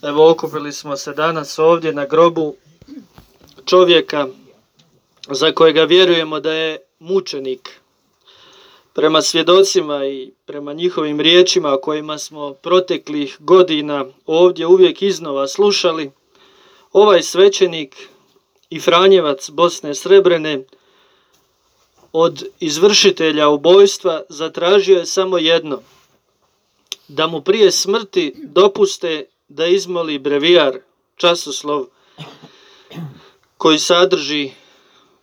Evo, okupili smo se danas ovdje na grobu čovjeka za kojega vjerujemo da je mučenik. Prema svjedocima i prema njihovim riječima o kojima smo proteklih godina ovdje uvijek iznova slušali, ovaj svećenik i Franjevac Bosne Srebrene od izvršitelja ubojstva zatražio je samo jedno: da mu prije smrti dopuste da izmoli brevijar, časoslov koji sadrži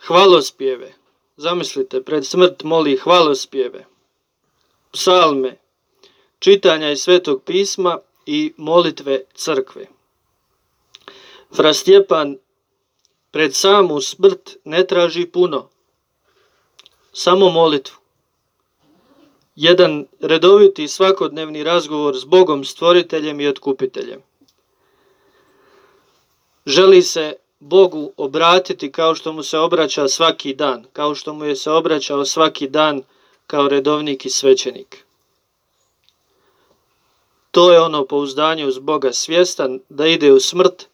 hvalospjeve. Zamislite, pred smrt moli hvalospjeve, psalme, čitanja iz Svetog pisma i molitve crkve. Fra Stjepan pred samu smrt ne traži puno, samo molitvu. Jedan redoviti svakodnevni razgovor s Bogom Stvoriteljem i Otkupiteljem. Želi se Bogu obratiti kao što mu se obraća svaki dan, kao što mu je se obraćao svaki dan kao redovnik i svećenik. To je ono pouzdanje uz Boga, svjestan da ide u smrt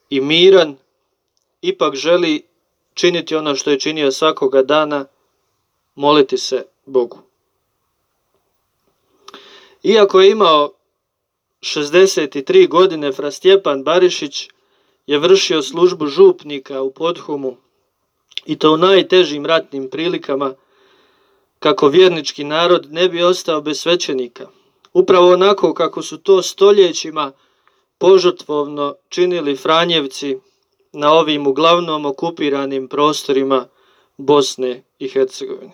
i miran, ipak želi činiti ono što je činio svakoga dana, moliti se Bogu. Iako je imao 63 godine, fra Stjepan Barišić je vršio službu župnika u Podhumu, i to u najtežim ratnim prilikama, kako vjernički narod ne bi ostao bez svećenika. Upravo onako kako su to stoljećima požrtvovno činili Franjevci na ovim uglavnom okupiranim prostorima Bosne i Hercegovine.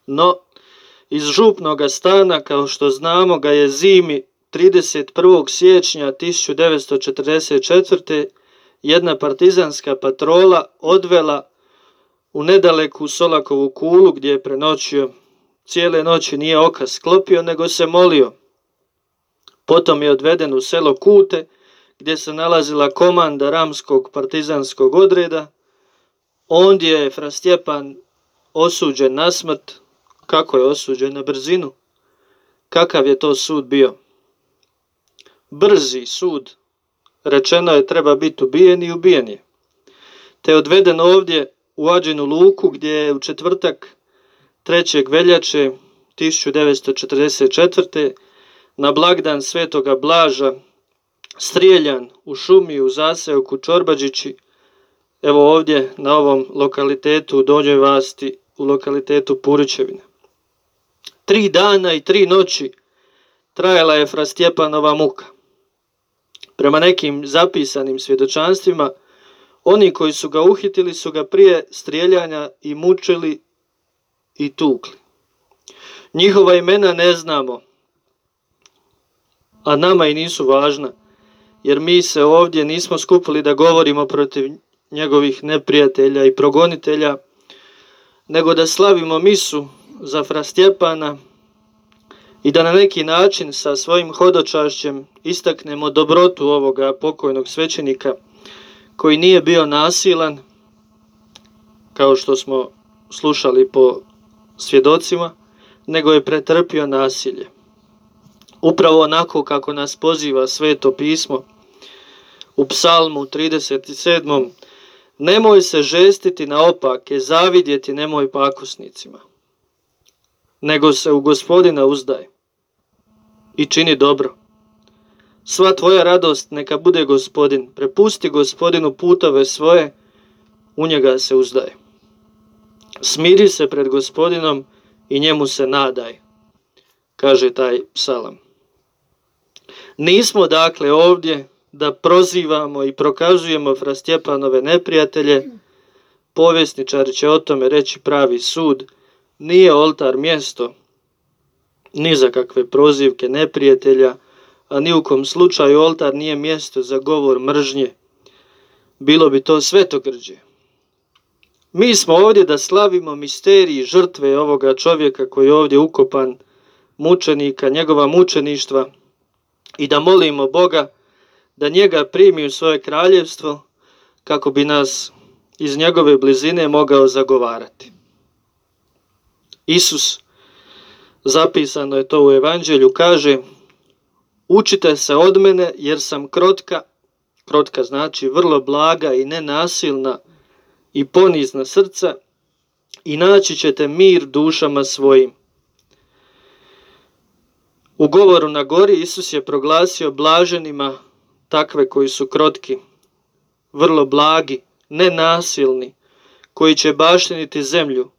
No, iz župnoga stana, kao što znamo, ga je zimi 31. siječnja 1944. jedna partizanska patrola odvela u nedaleku Solakovu kulu, gdje je prenoćio. Cijele noći nije oka sklopio, nego se molio. Potom je odveden u selo Kute, gdje se nalazila komanda Ramskog partizanskog odreda. Ondje je fra Stjepan osuđen na smrt. Kako je osuđen? Na brzinu. Kakav je to sud bio? Brzi sud. Rečeno je treba biti ubijen i ubijen je. Te je odveden ovdje u Ađinu luku, gdje je u četvrtak 3. veljače 1944. na blagdan Svetoga Blaža strijeljan u šumi u zaseoku Čorbađići, evo ovdje na ovom lokalitetu u Donjoj Vasti, u lokalitetu Purićevina. 3 dana i 3 noći trajala je fra Stjepanova muka. Prema nekim zapisanim svjedočanstvima, oni koji su ga uhitili su ga prije strijeljanja i mučili i tukli. Njihova imena ne znamo, a nama i nisu važna, jer mi se ovdje nismo skupili da govorimo protiv njegovih neprijatelja i progonitelja, nego da slavimo misu za fra Stjepana i da na neki način sa svojim hodočašćem istaknemo dobrotu ovoga pokojnog svećenika, koji nije bio nasilan, kao što smo slušali po svjedocima, nego je pretrpio nasilje. Upravo onako kako nas poziva Sveto pismo u Psalmu 37. Nemoj se žestiti na opake, zavidjeti nemoj pakosnicima, nego se u Gospodina uzdaj i čini dobro. Sva tvoja radost neka bude Gospodin, prepusti Gospodinu putove svoje, u njega se uzdaj. Smiri se pred Gospodinom i njemu se nadaj, kaže taj psalam. Nismo dakle ovdje da prozivamo i prokazujemo fra Stjepanove neprijatelje. Povjesničari će o tome reći pravi sud. Nije oltar mjesto ni za kakve prozivke neprijatelja, a ni u kom slučaju oltar nije mjesto za govor mržnje. Bilo bi to svetogrđe. Mi smo ovdje da slavimo misterij žrtve ovoga čovjeka koji je ovdje ukopan, mučenika, njegova mučeništva, i da molimo Boga da njega primi u svoje kraljevstvo, kako bi nas iz njegove blizine mogao zagovarati. Isus, zapisano je to u Evanđelju, kaže: učite se od mene jer sam krotka znači vrlo blaga i nenasilna i ponizna srca, i naći ćete mir dušama svojim. U govoru na gori Isus je proglasio blaženima takve koji su krotki, vrlo blagi, nenasilni, koji će baštiniti zemlju.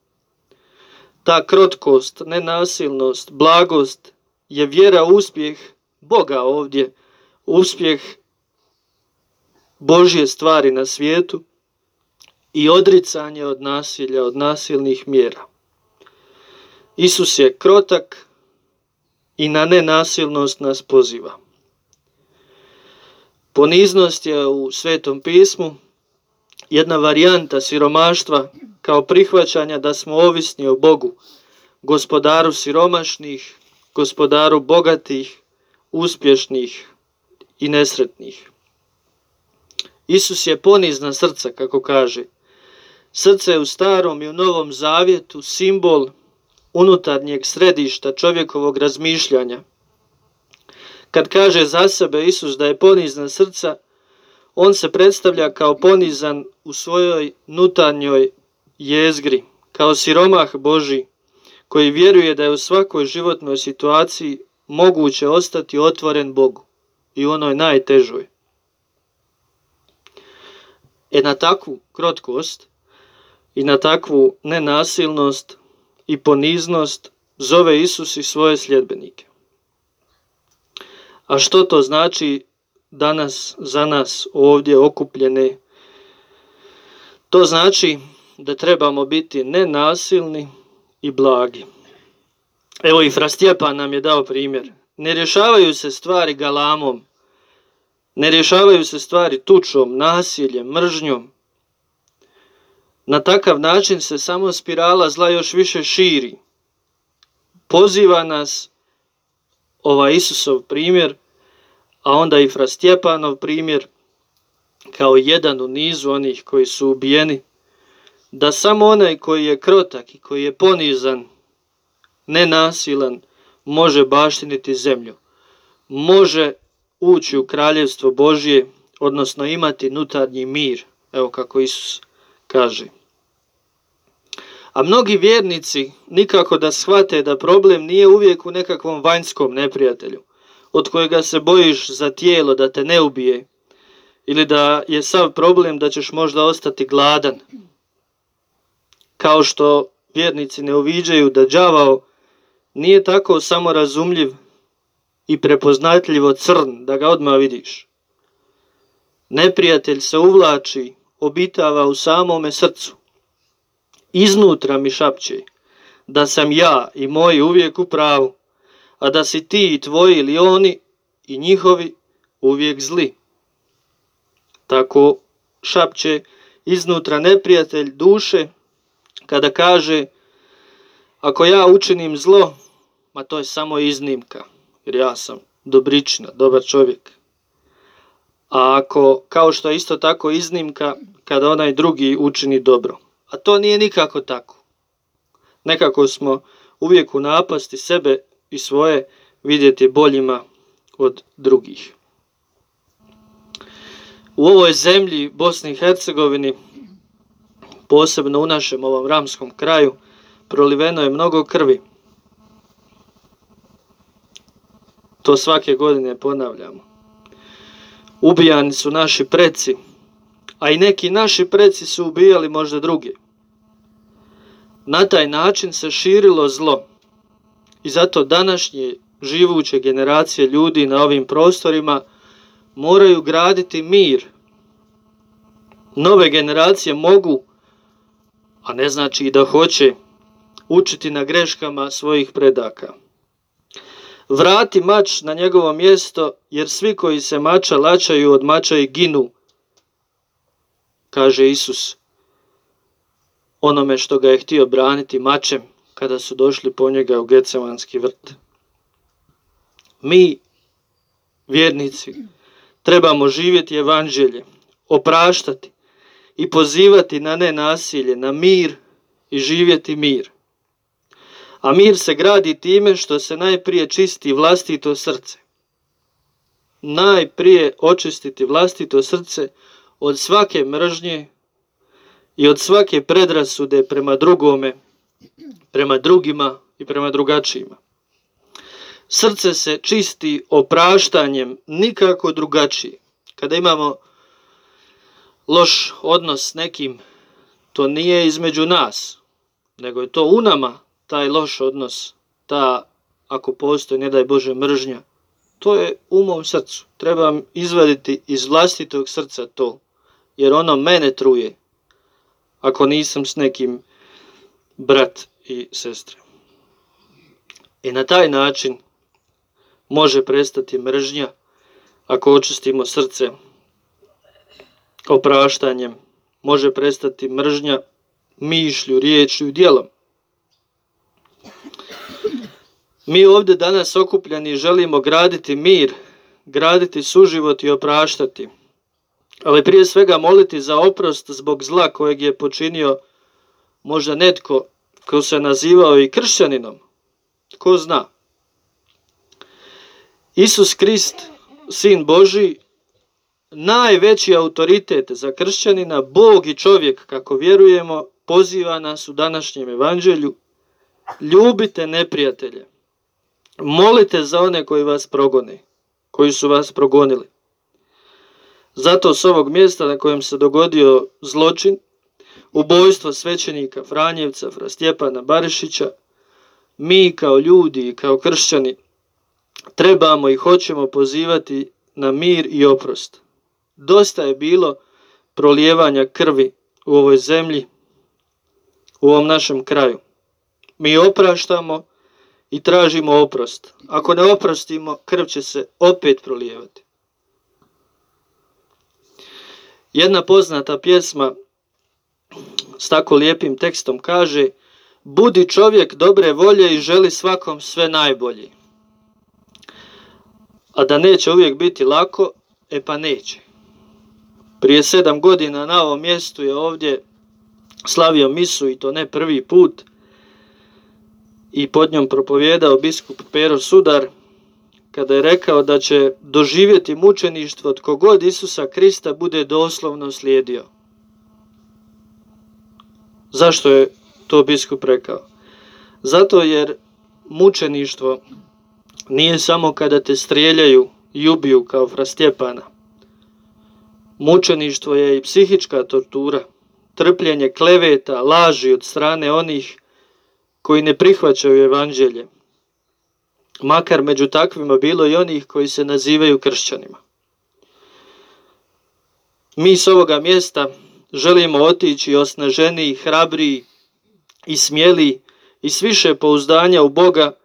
Ta krotkost, nenasilnost, blagost je vjera u uspjeh Boga ovdje, uspjeh Božje stvari na svijetu i odricanje od nasilja, od nasilnih mjera. Isus je krotak i na nenasilnost nas poziva. Poniznost je u Svetom pismu jedna varijanta siromaštva kao prihvaćanja da smo ovisni o Bogu, gospodaru siromašnih, gospodaru bogatih, uspješnih i nesretnih. Isus je ponizna srca, kako kaže. Srce je u Starom i u Novom Zavjetu simbol unutarnjeg središta čovjekovog razmišljanja. Kad kaže za sebe Isus da je ponizna srca, on se predstavlja kao ponizan u svojoj unutarnjoj jezgri, kao siromah Božji, koji vjeruje da je u svakoj životnoj situaciji moguće ostati otvoren Bogu, i u onoj najtežoj. Na takvu krotkost i na takvu nenasilnost i poniznost zove Isus i svoje sljedbenike. A što to znači danas za nas ovdje okupljene? To znači da trebamo biti nenasilni i blagi. Evo i fra Stjepan nam je dao primjer. Ne rješavaju se stvari galamom, ne rješavaju se stvari tučom, nasiljem, mržnjom. Na takav način se samo spirala zla još više širi. Poziva nas ovaj Isusov primjer, a onda i fra Stjepanov primjer, kao jedan u nizu onih koji su ubijeni, da samo onaj koji je krotak i koji je ponizan, nenasilan, može baštiniti zemlju, može ući u kraljevstvo Božje, odnosno imati unutarnji mir, evo kako Isus kaže. A mnogi vjernici nikako da shvate da problem nije uvijek u nekakvom vanjskom neprijatelju, od kojega se bojiš za tijelo da te ne ubije, ili da je sav problem da ćeš možda ostati gladan. Kao što vjernici ne uviđaju da đavao nije tako samorazumljiv i prepoznatljivo crn da ga odmah vidiš. Neprijatelj se uvlači, obitava u samome srcu. Iznutra mi šapće da sam ja i moji uvijek u pravu, a da si ti i tvoji ili oni i njihovi uvijek zli. Tako šapće iznutra neprijatelj duše kada kaže: ako ja učinim zlo, ma to je samo iznimka, jer ja sam dobričina, dobar čovjek. A ako, kao što je isto tako iznimka, kada onaj drugi učini dobro. A to nije nikako tako. Nekako smo uvijek u napasti sebe i svoje vidjeti boljima od drugih. U ovoj zemlji, Bosni i Hercegovini, posebno u našem ovom ramskom kraju, proliveno je mnogo krvi. To svake godine ponavljamo. Ubijani su naši preci, a i neki naši preci su ubijali možda druge. Na taj način se širilo zlo i zato današnje živuće generacije ljudi na ovim prostorima moraju graditi mir. Nove generacije mogu, a ne znači i da hoće, učiti na greškama svojih predaka. Vrati mač na njegovo mjesto, jer svi koji se mača lačaju od mača i ginu, kaže Isus onome što ga je htio braniti mačem kada su došli po njega u Getsemanski vrt. Mi, vjernici, trebamo živjeti evanđelje, opraštati i pozivati na nenasilje, na mir i živjeti mir. A mir se gradi time što se najprije čisti vlastito srce. najprije očistiti vlastito srce od svake mržnje i od svake predrasude prema drugome, prema drugima i prema drugačijima. Srce se čisti opraštanjem, nikako drugačije. Kada imamo loš odnos s nekim, to nije između nas, nego je to u nama, taj loš odnos, ta, ako postoji, ne daj Bože, mržnja. To je u mom srcu. Trebam izvaditi iz vlastitog srca to, jer ono mene truje, ako nisam s nekim brat i sestre. I na taj način može prestati mržnja, ako očistimo srce opraštanjem. Može prestati mržnja mišlju, riječju i djelom. Mi ovdje danas okupljeni želimo graditi mir, graditi suživot i opraštati, ali prije svega moliti za oprost zbog zla kojeg je počinio možda netko ko se nazivao i kršćaninom. Tko zna? Isus Krist, Sin Božji, najveći autoritet za kršćanina, Bog i čovjek, kako vjerujemo, poziva nas u današnjem evanđelju: ljubite neprijatelje, molite za one koji vas progone, koji su vas progonili. Zato s ovog mjesta na kojem se dogodio zločin, ubojstvo svećenika Franjevca, fra Stjepana Barišića, mi kao ljudi i kao kršćani trebamo i hoćemo pozivati na mir i oprost. Dosta je bilo prolijevanja krvi u ovoj zemlji, u ovom našem kraju. Mi opraštamo i tražimo oprost. Ako ne oprostimo, krv će se opet prolijevati. Jedna poznata pjesma s tako lijepim tekstom kaže: budi čovjek dobre volje i želi svakom sve najbolje. A da neće uvijek biti lako, pa neće. Prije 7 godina na ovom mjestu je ovdje slavio misu, i to ne prvi put, i pod njom propovijedao biskup Pero Sudar, kada je rekao da će doživjeti mučeništvo tko god Isusa Krista bude doslovno slijedio. Zašto je to biskup rekao? Zato jer mučeništvo nije samo kada te strijeljaju i ubiju kao fra Stjepana. Mučeništvo je i psihička tortura, trpljenje kleveta, laži od strane onih koji ne prihvaćaju evanđelje, makar među takvima bilo i onih koji se nazivaju kršćanima. Mi s ovoga mjesta želimo otići osnaženiji, hrabriji i smjeliji i s više pouzdanja u Boga,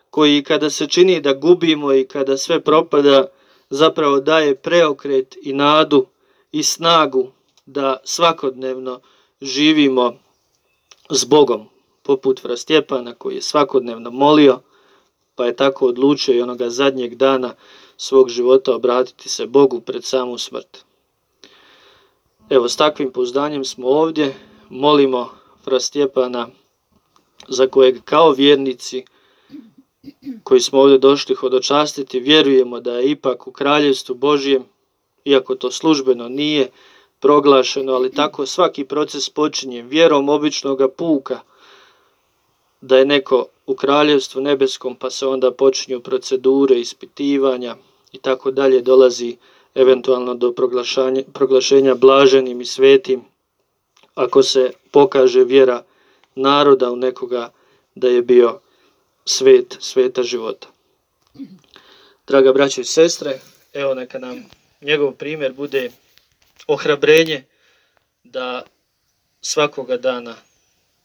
koji kada se čini da gubimo i kada sve propada, zapravo daje preokret i nadu i snagu da svakodnevno živimo s Bogom, poput fra Stjepana koji je svakodnevno molio, pa je tako odlučio i onoga zadnjeg dana svog života obratiti se Bogu pred samu smrt. Evo, s takvim pouzdanjem smo ovdje, molimo fra Stjepana, za kojeg kao vjernici koji smo ovdje došli hodočastiti vjerujemo da je ipak u Kraljevstvu Božjem, iako to službeno nije proglašeno, ali tako svaki proces počinje vjerom običnoga puka, da je neko u Kraljevstvu nebeskom, pa se onda počinju procedure, ispitivanja i tako dalje, dolazi eventualno do proglašenja blaženim i svetim, ako se pokaže vjera naroda u nekoga da je bio sveta života. Draga braćo i sestre, evo neka nam njegov primjer bude ohrabrenje da svakoga dana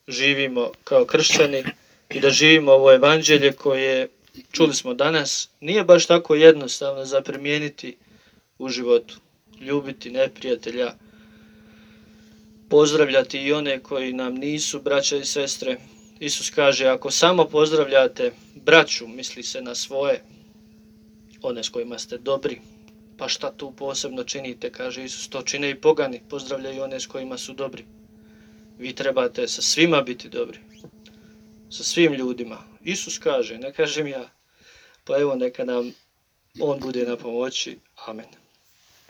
živimo kao kršćani i da živimo ovo evanđelje koje, čuli smo danas, nije baš tako jednostavno za primijeniti u životu. Ljubiti neprijatelja, pozdravljati i one koji nam nisu braća i sestre. Isus kaže, ako samo pozdravljate braću, misli se na svoje, one s kojima ste dobri, pa šta tu posebno činite, kaže Isus, to čine i pogani, pozdravljaju one s kojima su dobri. Vi trebate sa svima biti dobri, sa svim ljudima. Isus kaže, ne kažem ja, pa evo neka nam on bude na pomoći. Amen.